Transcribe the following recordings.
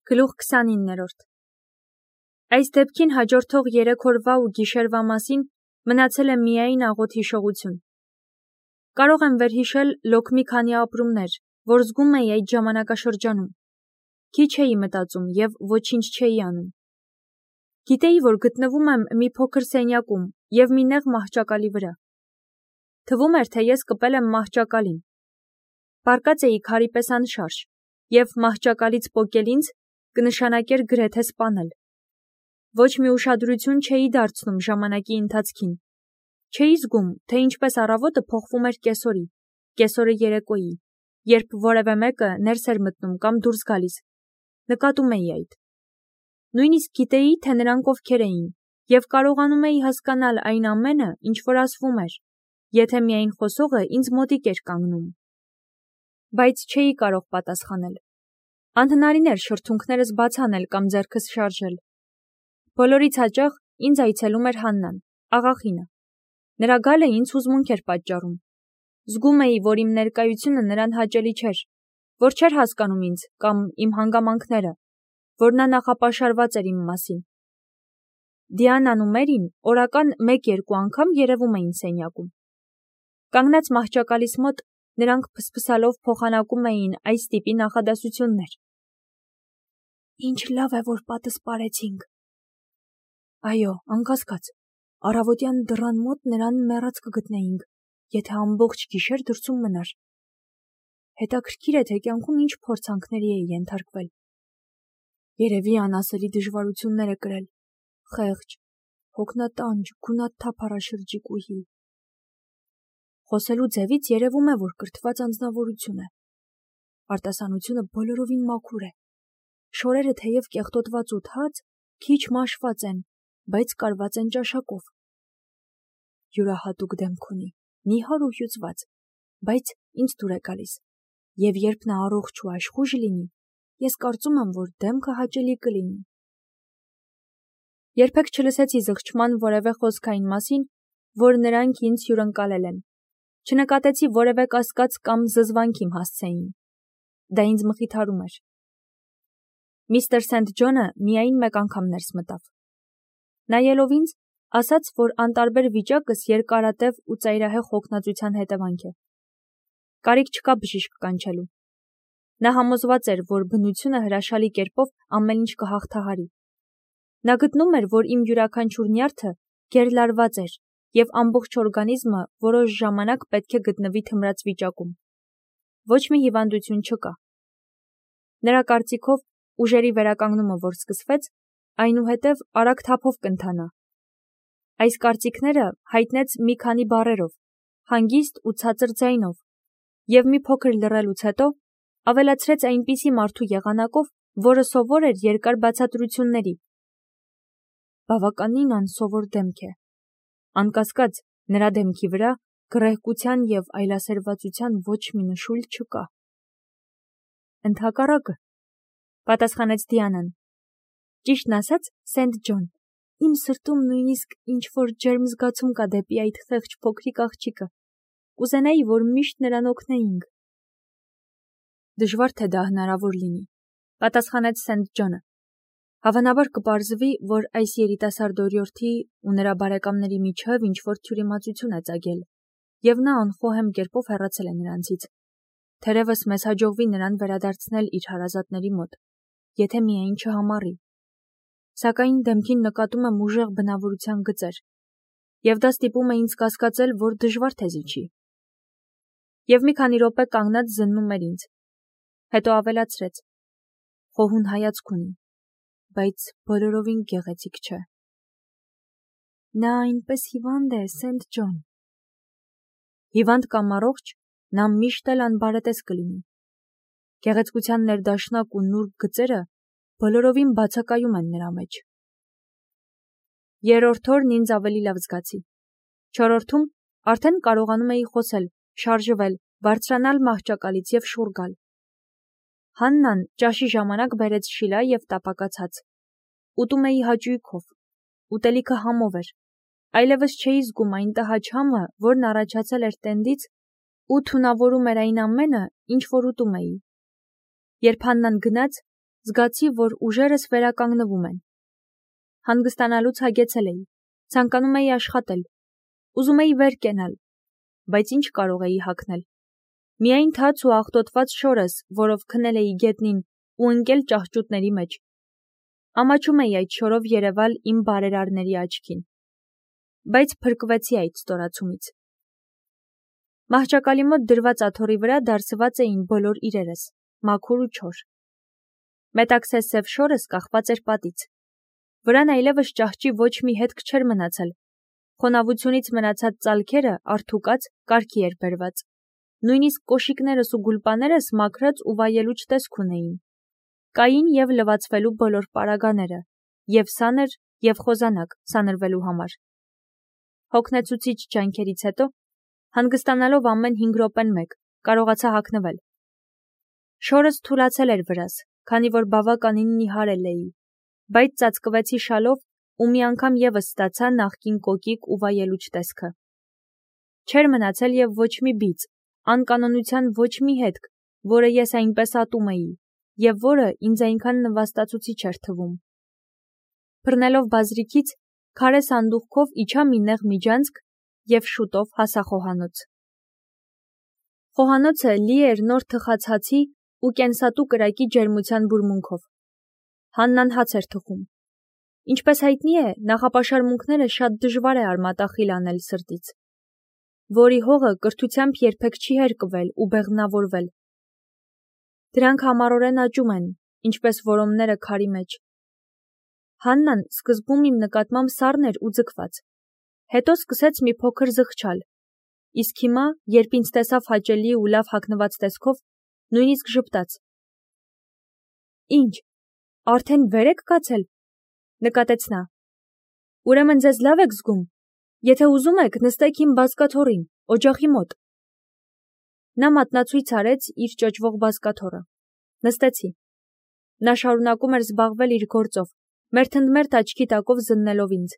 Գլուխ 29-րդ Այս դեպքին հաջորդող 3 օրվա ու գիշերվա մասին մնացել է միայն աղոտ հիշողություն։ Կարող եմ վերհիշել լոկ մի քանի ապրումներ, որ զգում էի այդ ժամանակաշրջանում։ Քիչ էի մտածում և ոչինչ չէի անում։ Գիտեի, որ գտնվում եմ մի փոքր սենյակում և մի նեղ մահճակալի վրա։ Թվում էր, թե ես կպել եմ մահճակալին։ Պառկած էի քարի պես անշարժ, և մահճակալից պոկել ինձ կնշանակեր գրեթե սպանել։ Ոչ մի ուշադրություն չէի դարձնում ժամանակի ընթացքին։ Չէի զգում, թե ինչպես առավոտը փոխվում էր կեսօրի, կեսօրը երեկոյի, երբ որևէ մեկը ներս էր մտնում կամ դուրս գալիս։ Նկատում էի այդ։ Նույնիսկ գիտեի, թե նրանք ովքեր էին, և կարողանում էի հասկանալ այն ամենը, ինչ որ ասվում էր, եթե միայն խոսողը ինձ մոտիկ էր կանգնում։ Բայց չէի կարող պատասխանել։ Անհնարին էր շրթունքներս բաց անել կամ ձեռքս շարժել։ Բոլորից հաճախ ինձ այցելում էր Հաննան, աղախինը։ Նրա գալը ինձ հուզմունք էր պատճառում։ Զգում էի, որ իմ ներկայությունը նրան հաճելի չէր, որ չէր հասկանում ինձ կամ իմ հանգամանքները, որ նա նախապաշարված էր իմ մասին։ Դիանան ու Մերին օրական 1-2 անգամ երևում էին սենյակում։ Կանգնած մահճակալիս մոտ նրանք փսփսալով փոխանակում էին այս տիպի նախադասություններ. Ինչ լավ է, որ պատը սպարեցինք։ Այո, անկասկած, առավոտյան դռան մոտ նրան մեռած կգտնեինք, եթե ամբողջ գիշեր դրսում մնար։ Հետաքրքիր է, թե կյանքում ինչ փորձանքների է ենթարկվել։ Երևի անասելի դժվարություններ է կրել, խեղճ, հոգնատանջ, գունաթափառաշրջիկուհի։ Խոսելու ձևից երևում է, որ կրթված անձնավորություն է։ Արտասանությունը բոլորովին մաքուր է։ Շորերը թեև կեղտոտված ու թաց, քիչ մաշված են, բայց կարված են ճաշակով։ Յուրահատուկ դեմք ունի, նիհար ու հյուծված, բայց ինձ դուր է գալիս, և երբ նա առողջ ու աշխույժ լինի, ես կարծում եմ, որ դեմքը հաճելի կլինի։ Երբեք չլսեցի զղջման որևէ խոսք այն մասին, որ նրանք ինձ հյուրընկալել են։ Չնկատեցի որևէ կասկած կամ զզվանք իմ հասցեին։ Դա ինձ մխիթարում էր։ Միստր Սենթ Ջոնը միայն մեկ անգամ ներս մտավ։ Նայելով ինձ, ասաց, որ անտարբեր վիճակս երկարատև ու ծայրահեղ հոգնածության հետևանք է։ Կարիք չկա բժիշկ կանչելու։ Նա համոզված էր, որ բնությունը հրաշալի կերպով ամեն ինչ կհաղթահարի։ Նա գտնում էր, որ իմ յուրաքանչյուր նյարդը գերլարված էր, և ամբողջ օրգանիզմը որոշ ժամանակ պետք է գտնվի թմրած վիճակում։ Ոչ մի հիվանդություն չկա։ Նրա կարծիքով ուժերի վերականգնումը, որ սկսվեց, այնուհետև արագ թափով կընթանա։ Այս կարծիքները հայտնեց մի քանի բառերով, հանգիստ ու ցածր ձայնով, և մի փոքր լռելուց հետո ավելացրեց այնպիսի մարդու եղանակով, որը սովոր էր երկար բացատրությունների։ Բավականին անսովոր դեմք է։ Անկասկած, նրա դեմքի վրա գռեհկության և այլասերվածության ոչ մի նշույլ չկա։ Ընդհակառակը, պատասխանեց Դիանան։ Ճիշտն ասած, Սենթ Ջոն, իմ սրտում նույնիսկ ինչ-որ ջերմ զգացում կա դեպի այդ խեղճ փոքրիկ աղջիկը։ Կուզենայի, որ միշտ նրան օգնեինք։ Դժվար թե դա հնարավոր լինի, պատասխանեց Սենթ Ջոնը։ Հավանաբար կպարզվի, որ այս երիտասարդ օրիորդի ու նրա բարեկամների միջև ինչ-որ թյուրիմացություն է ծագել, և նա անխոհեմ կերպով հեռացել է նրանցից։ Թերևս մեզ հաջողվի նրան վերադարձնել իր հարազատների մոտ, եթե միայն չհամառի։ Սակայն դեմքին նկատում եմ ուժեղ բնավորության գծեր, և դա ստիպում է ինձ կասկածել, որ դժվար թե զիջի։ Եվ մի քանի րոպե կանգնած զննում էր ինձ։ Հետո ավելացրեց. խոհուն հայացք ունի, բայց բոլորովին գեղեցիկ չէ։ Նա այնպես հիվանդ է, Սենթ Ջոն։ Հիվանդ կամ առողջ, նա միշտ էլ անբարետես կլինի։ Գեղեցկության ներդաշնակ ու նուրբ գծերը բոլորովին բացակայում են նրա մեջ։ Երրորդ օրն ինձ ավելի լավ զգացի։ Չորրորդում արդեն կարողանում էի խոսել, շարժվել, բարձրանալ մահճակալից և շուռ գալ։ Հաննան ճաշի ժամանակ բերեց շիլա և տապակած հաց։ Ուտում էի հաճույքով։ Ուտելիքը համով էր։ Այլևս չէի զգում այն տհաճ համը, որն առաջացել էր տենդից ու թունավորում էր այն ամենը, ինչ որ ուտում էի։ Երբ Հաննան գնաց, զգացի, որ ուժերս վերականգնվում են։ Հանգստանալուց հագեցել էի, ցանկանում էի աշխատել, ուզում էի վեր կենալ, բայց ինչ կարող էի հագնել։ Միայն թաց ու աղտոտված շորս, որով քնել էի գետնին ու ընկել ճահճուտների մեջ։ Ամաչում էի այդ շորով երևալ իմ բարերարների աչքին, բայց փրկվեցի այդ ստորացումից։ Մահճակալի մոտ դրված աթոռի վրա դարսված էին բոլոր իրերս, մաքուր ու չոր։ Մետաքսե սև շորս կախված էր պատից։ Վրան այլևս ճահճի ոչ մի հետք չէր մնացել։ Խոնավությունից մնացած ծալքերը արթուկած կարգի էր բերված։ Նույնիսկ կոշիկներս ու գուլպաներս մաքրած ու վայելուչ տեսք ունեին։ Կային և լվացվելու բոլոր պարագաները, և սաներ, և խոզանակ սանրվելու համար։ Հոգնեցուցիչ ջանքերից հետո, հանգստանալով ամեն 5 րոպեն մեկ, կարողացա հագնվել։ Շորս թուլացել էր վրաս, քանի որ բավականին նիհարել էի, բայց ծածկվեցի շալով ու մի անգամ ևս ստացա նախկին կոկիկ ու վայելուչ տեսքը։ Չէր մնացել և ոչ մի բիծ, անկանոնության ոչ մի հետք, որը ես այնպես ատում էի, և որը ինձ այնքան նվաստացուցիչ էր թվում։ Բռնելով բազրիքից, քարե սանդուղքով իջա մի նեղ միջանցք և շուտով հասա խոհանոց։ Խոհանոցը լի էր նոր թխած հացի ու կենսատու կրակի ջերմության բուրմունքով։ Հաննան հաց էր թխում։ Ինչպես հայտնի է, նախապաշարմունքները շատ դժվար է արմատախիլ անել սրտից, որի հողը կրթությամբ երբեք չի հերկվել ու բեղմնավորվել։ Դրանք համառորեն աճում են, ինչպես որոմները քարի մեջ։ Հաննան սկզբում իմ նկատմամբ սառն էր ու ձգված, հետո սկսեց մի փոքր զղջալ, իսկ հիմա, երբ ինձ տեսավ հաճելի ու լավ հագնված տեսքով, նույնիսկ ժպտաց։ Ինչ, արդեն վեր եք կացել, նկատեց նա։ Ուրեմն ձեզ լավ եք զգում, եթե ուզում եք, նստեք իմ բազկաթոռին, օջախի մոտ։ Նա մատնացույց արեց իր ճոճվող բազկաթոռը։ Նստեցի։ Նա շարունակում էր զբաղվել իր գործով, մերթընդմերթ աչքի տակով զննելով ինձ։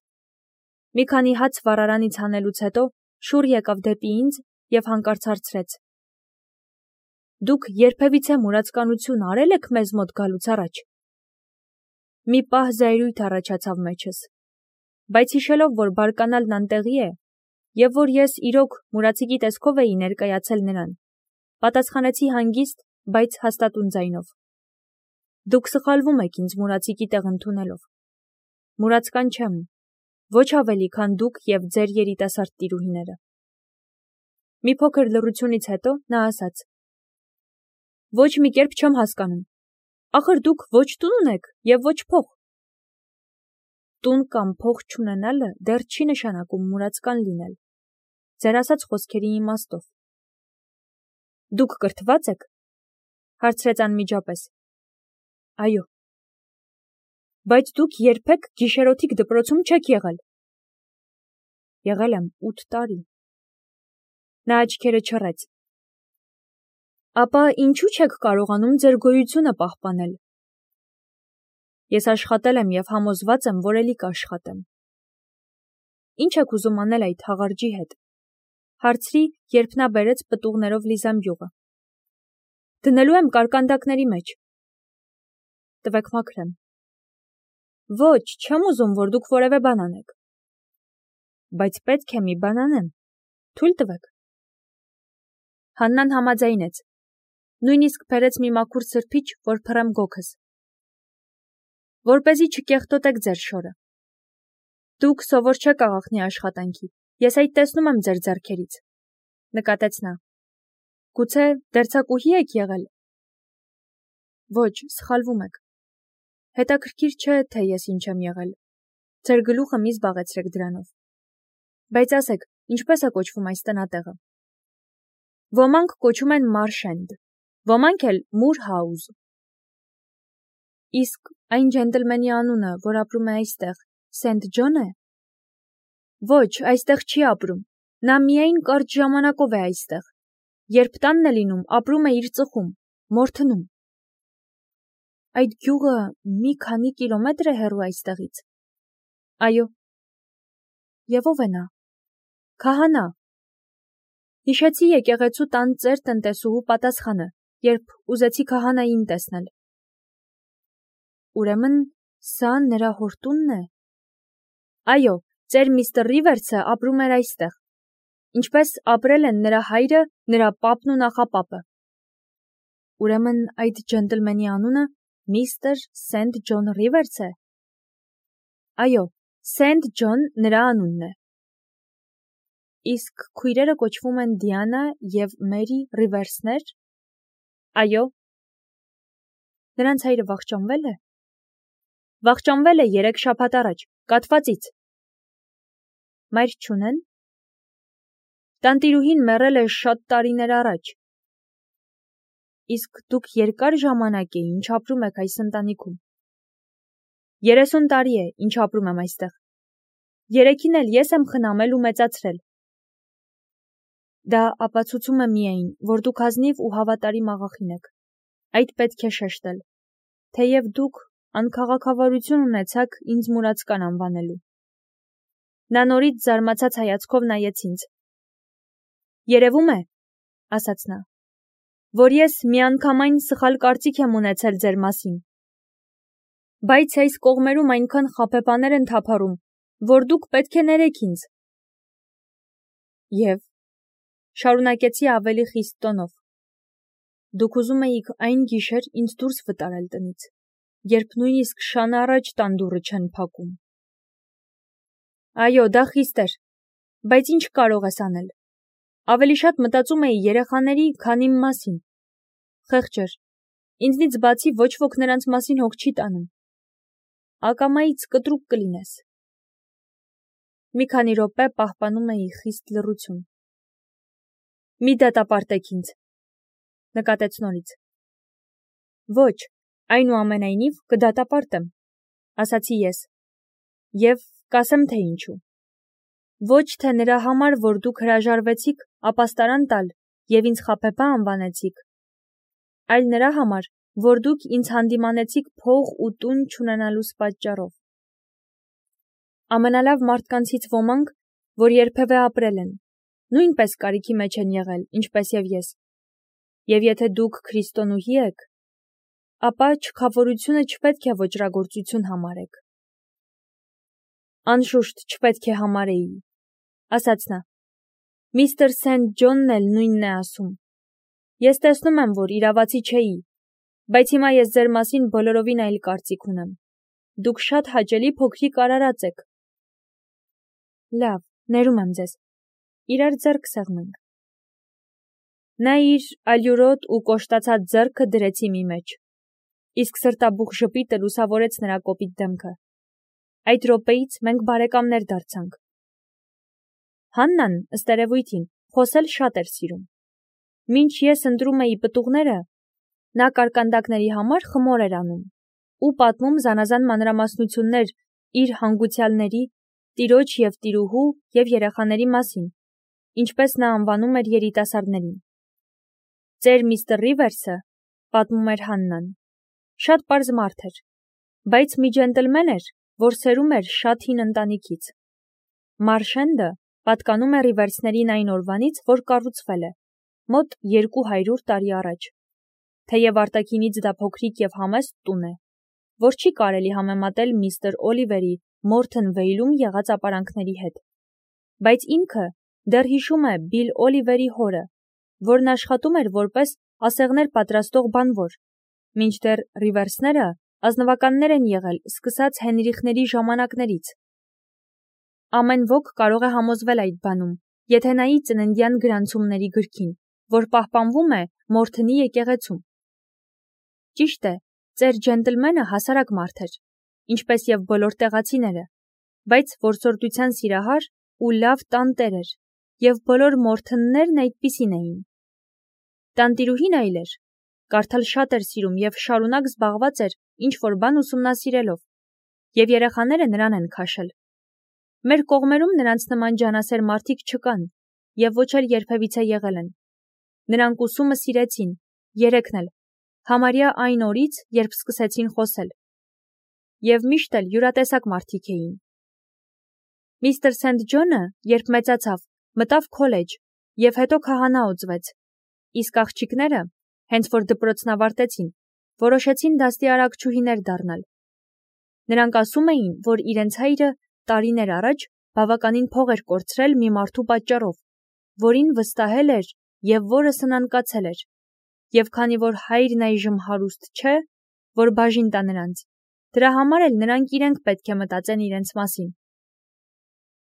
Մի քանի հաց վառարանից հանելուց հետո շուռ եկավ դեպի ինձ և հանկարծ հարցրեց. Դուք երբևիցե մուրացկանություն արել եք մեզ մոտ գալուց առաջ։ Մի պահ զայրույթ առաջացավ մեջս, բայց հիշելով, որ բարկանալն անտեղի է, և որ ես իրոք մուրացիկի տեսքով էի ներկայացել նրան, պատասխանեցի հանգիստ, բայց հաստատուն ձայնով. Դուք սխալվում եք ինձ մուրացիկի տեղ ընդունելով։ Մուրացկան չեմ, ոչ ավելի, քան դուք և ձեր երիտասարդ տիրուհիները։ Մի փոքր լռությունից հետո նա ասաց. Ոչ մի կերպ չեմ հասկանում։ Ախր դուք ոչ տուն ունեք և ոչ փող։ Տուն կամ փող չունենալը դեռ չի նշանակում մուրացկան լինել։ Ձեր ասած խոսքերի իմաստով։ Դուք կրթվա՞ծ եք, հարցրեց անմիջապես։ Այո։ Բայց դուք երբեք գիշերօթիկ դպրոցում չեք եղել։ Եղել եմ 8 տարի։ Նա աչքերը չռեց։ Ապա ինչու չեք կարողանում ձեր գոյությունը պահպանել։ Ես աշխատել եմ և համոզված եմ, որ էլի կաշխատեմ։ Ինչ եք ուզում անել այդ հաղարջի հետ, հարցրի, երբ նա բերեց պտուղներով լի զամբյուղը։ Դնելու եմ կարկանդակների մեջ։ Տվեք մաքրեմ։ Ոչ, չեմ ուզում, որ դուք որևէ բան անեք։ Բայց պետք է մի բան անեմ։ Թույլ տվեք։ Հաննան համաձայնեց։ Նույնիսկ բերեց մի մաքուր սրբիչ, որ փռեմ գոգս։ Որպեսզի չկեղտոտեք ձեր շորը։ Դուք սովոր չեք աղախնի աշխատանքի, ես այդ տեսնում եմ ձեր ձեռքերից, նկատեց նա։ Գուցե դերձակուհի եք եղել։ Ոչ, սխալվում եք։ Հետաքրքիր չէ, թե ես ինչ եմ եղել։ Ձեր գլուխը մի զբաղեցրեք դրանով։ Բայց ասեք, ինչպես է կոչվում այս տնատեղը։ Ոմանք կոչում են Մարշենդ, ոմանք էլ Մուրհաուզ։ Իսկ այն ջենտլմենի անունը, որ ապրում է այստեղ, Սենթ Ջոն է։ Ոչ, այստեղ չի ապրում։ Նա միայն կարճ ժամանակով է այստեղ։ Երբ տանն է լինում, ապրում է իր ծխում, Մորթնում։ Այդ գյուղը մի քանի կիլոմետր է հեռու այստեղից։ Այո։ Եվ ով է նա։ Քահանա։ Հիշեցի եկեղեցու տան ծեր տնտեսուհու պատասխանը, երբ ուզեցի քահանային տեսնել։ Ուրեմն սա նրա հորտունն է։ Այո, ծեր միստր Ռիվերսը ապրում էր այստեղ, ինչպես ապրել են նրա հայրը, նրա պապն ու նախապապը։ Ուրեմն այդ ջենտլմենի անունը միստր Սենթ Ջոն Ռիվերս է։ Այո, Սենթ Ջոն նրա անունն է։ Իսկ քույրերը կոչվում են Դիանա և Մերի Ռիվերսներ։ Այո։ Նրանց հայրը վախճանվել է։ Վախճանվել է 3 շաբաթ առաջ, կաթվածից։ Մայր չունեն։ Տանտիրուհին մեռել է շատ տարիներ առաջ։ Իսկ դուք երկար ժամանակ է ինչ ապրում եք այս ընտանիքում։ 30 տարի է, ինչ ապրում եմ այստեղ։ 3-ին էլ ես եմ խնամել ու մեծացրել։ Դա ապացուցում է միայն, որ դուք ազնիվ ու հավատարիմ աղախին եք։ Այդ պետք է շեշտել, թեև դուք անքաղաքավարություն ունեցաք ինձ մուրացկան անվանելու։ Նա նորից զարմացած հայացքով նայեց ինձ։ Երևում է, ասաց նա, որ ես միանգամայն սխալ կարծիք եմ ունեցել ձեր մասին։ Բայց այս կողմերում այնքան խաբեբաներ են թափառում, որ դուք պետք է ներեք ինձ։ Եվ շարունակեցի ավելի խիստ տոնով. Դուք ուզում էիք այն գիշեր ինձ դուրս վտարել տնից, երբ նույնիսկ շան առաջ տան դուռը չեն փակում։ Այո, դա խիստ էր, բայց ինչ կարող ես անել։ Ավելի շատ մտածում էի երեխաների, քան իմ մասին։ Խեղճ էր, ինձնից բացի ոչ ոք նրանց մասին հոգ չի տանում։ Ակամայից կտրուկ կլինես։ Մի քանի րոպե պահպանում էի խիստ լռություն։ Մի դատապարտեք ինձ, նկատեց նորից։ Ոչ, այնուամենայնիվ կդատապարտեմ, ասացի ես, և կասեմ թե ինչու։ Ոչ թե նրա համար, որ դուք հրաժարվեցիք ապաստարան տալ և ինձ խաբեբա անվանեցիք, այլ նրա համար, որ դուք ինձ հանդիմանեցիք փող ու տուն չունենալուս պատճառով։ Ամենալավ մարդկանցից ոմանք, որ երբևէ ապրել են, նույնպես կարիքի մեջ են եղել, ինչպես և ես։ Եվ եթե դուք քրիստոնուհի եք, ապա չքավորությունը չպետք է ոճրագործություն համարեք։ Անշուշտ չպետք է համարեի, ասաց նա։ Միստր Սենթ Ջոնն էլ նույնն է ասում։ Ես տեսնում եմ, որ իրավացի չէի, բայց հիմա ես ձեր մասին բոլորովին այլ կարծիք ունեմ։ Դուք շատ հաճելի փոքրիկ արարած եք։ Լավ, ներում եմ ձեզ։ Իրար ձեռք սեղմենք։ Նա իր ալյուրոտ ու կոշտացած ձեռքը դրեց իմի մեջ, իսկ սրտաբուխ ժպիտը լուսավորեց նրա կոպիտ դեմքը։ Այդ րոպեից մենք բարեկամներ դարձանք։ Հաննան, ըստ երևույթին, խոսել շատ էր սիրում։ Մինչ ես ընտրում էի պտուղները, նա կարկանդակների համար խմոր էր անում ու պատմում զանազան մանրամասնություններ իր հանգուցյալների, տիրոջ և տիրուհու և երեխաների մասին, ինչպես նա անվանում էր երիտասարդներին։ Ծեր միստր Ռիվերսը, պատմում էր Հաննան, շատ պարզ մարդ էր, բայց մի ջենտլմեն էր, որ սերում էր շատ հին ընտանիքից։ Մարշենդը պատկանում է Ռիվերսներին այն օրվանից, որ կառուցվել է, մոտ 200 տարի առաջ, թեև արտաքինից դա փոքրիկ և համեստ տուն է, որ չի կարելի համեմատել միստր Օլիվերի Մորթն Վեյլում եղած ապարանքների հետ, բայց ինքը դեռ հիշում է Բիլ Օլիվերի հորը, որն աշխատում էր որպես ասեղներ պատրաստող բանվոր, մինչդեռ Ռիվերսները ազնվականներ են եղել սկսած Հենրիխների ժամանակներից։ Ամեն ոք կարող է համոզվել այդ բանում, եթե նայի ծննդյան գրանցումների գրքին, որ պահպանվում է Մորթնի եկեղեցում։ Ճիշտ է, ծեր ջենտլմենը հասարակ մարդ էր, ինչպես և բոլոր տեղացիները, բայց որսորդության սիրահար ու լավ տանտեր էր, և բոլոր Մորթններն այդպիսին էին։ Տանտիրուհին այլ էր, կարդալ շատ էր սիրում և շարունակ զբաղված էր ինչ-որ բան ուսումնասիրելով, և երեխաները նրան են քաշել։ Մեր կողմերում նրանց նման ջանասեր մարդիկ չկան, և ոչ էլ երբևիցե եղել են։ Նրանք ուսումը սիրեցին, երեքն էլ, համարյա այն օրից, երբ սկսեցին խոսել։ Եվ միշտ էլ յուրատեսակ մարդիկ էին։ Միստր Սենթ Ջոնը, երբ մեծացավ, մտավ քոլեջ և հետո քահանա օծվեց, իսկ աղջիկները, հենց որ դպրոցն ավարտեցին, որոշեցին դաստիարակչուհիներ դառնալ Նրանք ասում էին, որ իրենց հայրը տարիներ առաջ բավականին փող էր կորցրել մի մարդու պատճառով, որին վստահել էր և որը սնանկացել էր, և քանի որ հայրն այժմ հարուստ չէ, որ բաժին տա նրանց, դրա համար էլ նրանք իրենք պետք է մտածեն իրենց մասին։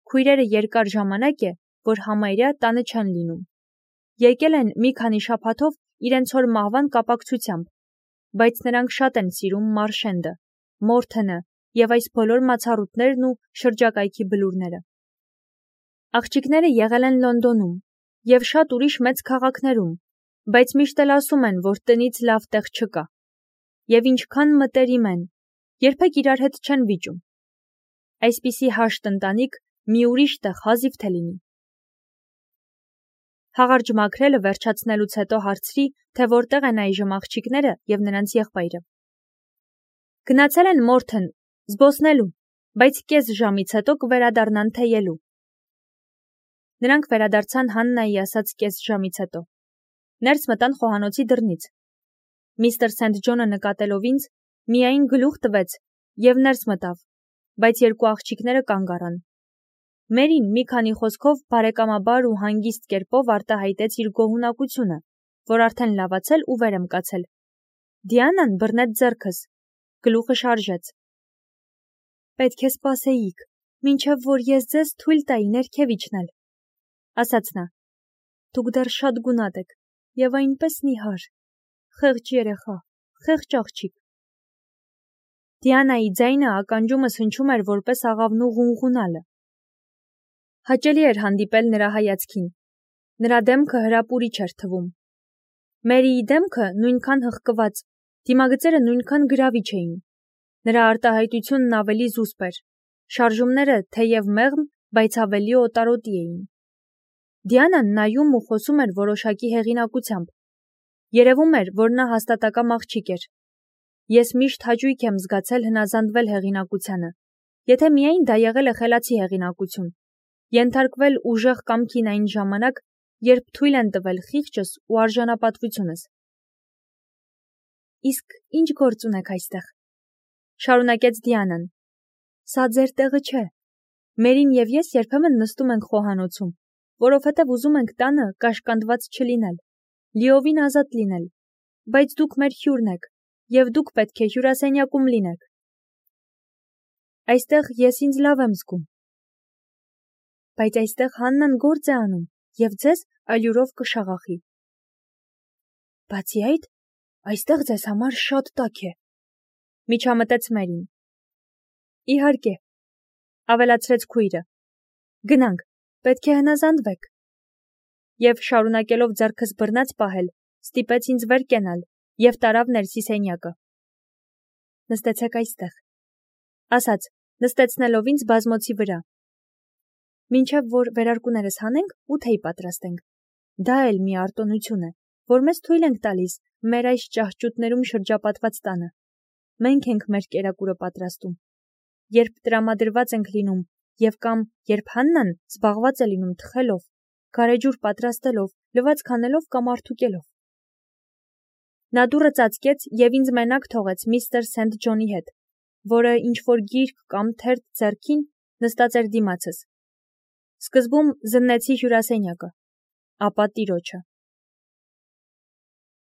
Քույրերը երկար ժամանակ է, որ համարյա տանը չեն լինում։ Եկել են մի քանի շաբաթով իրենց հոր մահվան կապակցությամբ, բայց նրանք շատ են սիրում Մարշենդը, Մորթենը և այս բոլոր մացառուտներն ու շրջակայքի բլուրները։ Աղջիկները եղել են Լոնդոնում և շատ ուրիշ մեծ քաղաքներում, բայց միշտ էլ ասում են, որ տնից լավ տեղ չկա։ Եվ ինչքան մտերիմ են, երբեք իրար հետ չեն վիճում։ Այսպիսի հաշտ ընտանիք մի ուրիշ տեղ հազիվ թե լինի։ Հաղարջ մաքրելը վերջացնելուց հետո հարցրի, թե որտեղ են այժմ աղջիկները և նրանց եղբայրը։ Գնացել են Մորթեն, զբոսնելու, բայց կես ժամից հետո կվերադառնան թեյելու։ Նրանք վերադարձան Հաննայի ասած կես ժամից հետո։ Ներս մտան խոհանոցի դռնից։ Միստր Սենթ Ջոնը նկատելով ինձ, միայն գլուխ տվեց և ներս մտավ, բայց երկու աղջիկները կանգ առան։ Մերին մի քանի խոսքով բարեկամաբար ու հանգիստ կերպով արտահայտեց իր գոհունակությունը, որ արդեն լավացել ու վեր եմ կացել։ Դիանան բռնեց ձեռքս, գլուխը շարժեց։ Պետք է սպասեիք, մինչև որ ես ձեզ թույլ տայի ներքև իջնել, ասաց նա։ Դուք դեռ շատ գունատ եք և այնպես նիհար, խեղճ երեխա, խեղճ աղջիկ։ Դիանայի ձայնը ականջումս հնչում էր որպես աղավնու ղունղունալը։ Հաճելի էր հանդիպել նրա հայացքին։ Նրա դեմքը հրապուրիչ էր թվում։ Մերիի դեմքը նույնքան հղկված, դիմագծերը նույնքան գրավիչ էին։ Նրա արտահայտությունն ավելի զուսպ էր։ Շարժումները թեև մեղմ, բայց ավելի օտարոտի էին։ Դիանան նայում ու խոսում էր որոշակի հեղինակությամբ։ Երևում էր, որ նա հաստատակամ աղջիկ էր։ Ես միշտ հաճույք եմ զգացել հնազանդվել հեղինակությանը, եթե միայն դա եղել է խելացի հեղինակություն, ենթարկվել ուժեղ կամքին այն ժամանակ, երբ թույլ են տվել խիղճս ու արժանապատվությունս։ Իսկ ինչ գործ ունեք այստեղ, շարունակեց Դիանան։ Սա ձեր տեղը չէ։ Մերին և ես երբեմն նստում ենք խոհանոցում, որովհետև ուզում ենք տանը կաշկանդված չլինել, լիովին ազատ լինել, բայց դուք մեր հյուրն եք, և դուք պետք է հյուրասենյակում լինեք։ Այստեղ ես ինձ լավ եմ զգում։ Բայց այստեղ Հաննան գործ է անում, և ձեզ ալյուրով կշաղախի։ Բացի այդ, այստեղ ձեզ համար շատ տաք է, միջամտեց Մերին։ Իհարկե, ավելացրեց քույրը։ Գնանք, պետք է հնազանդվեք։ Եվ շարունակելով ձեռքս բռնած պահել, ստիպեց ինձ վեր կենալ և տարավ ներսի սենյակը։ Նստեցեք այստեղ, ասաց, նստեցնելով ինձ բազմոցի վրա։ Մինչև որ վերարկուներս հանենք ու թեյ պատրաստենք։ Դա էլ մի արտոնություն է, որ մեզ թույլ ենք տալիս մեր այս ճահճուտներում շրջապատված տանը։ Մենք ենք մեր կերակուրը պատրաստում։ Երբ տրամադրված ենք լինում և կամ երբ Հաննան զբաղված է լինում թխելով, գարեջուր պատրաստելով, լվացք անելով կամ արդուկելով։ Նա դուռը ծածկեց և ինձ մենակ թողեց միստր Սենթ Ջոնի հետ, որը ինչ-որ գիրք կամ թերթ ձեռքին նստած էր դիմացս։ Սկզբում զննեցի հյուրասենյակը, ապա տիրոջը։